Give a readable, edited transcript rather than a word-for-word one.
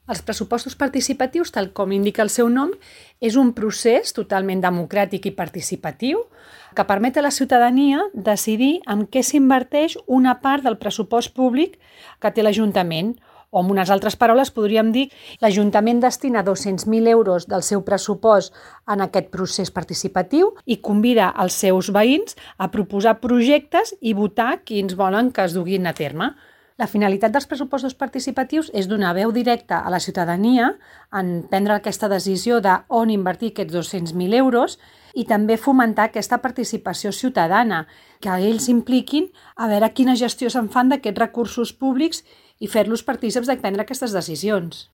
Els pressupostos participatius, tal com indica el seu nom, és un procés totalment democràtic i participatiu que permet a la ciutadania decidir en què s'inverteix una part del pressupost públic que té l'Ajuntament. O, amb unes altres paraules, podríem dir que l'Ajuntament destina 200.000 euros del seu pressupost en aquest procés participatiu i convida els seus veïns a proposar projectes i votar quins volen que es duguin a terme. La finalitat dels pressupostos participatius és donar veu directa a la ciutadania en prendre aquesta decisió d'on invertir aquests 200.000 euros i també fomentar aquesta participació ciutadana, que ells impliquin a veure quina gestió se'n fan d'aquests recursos públics i fer-los partícips de prendre aquestes decisions.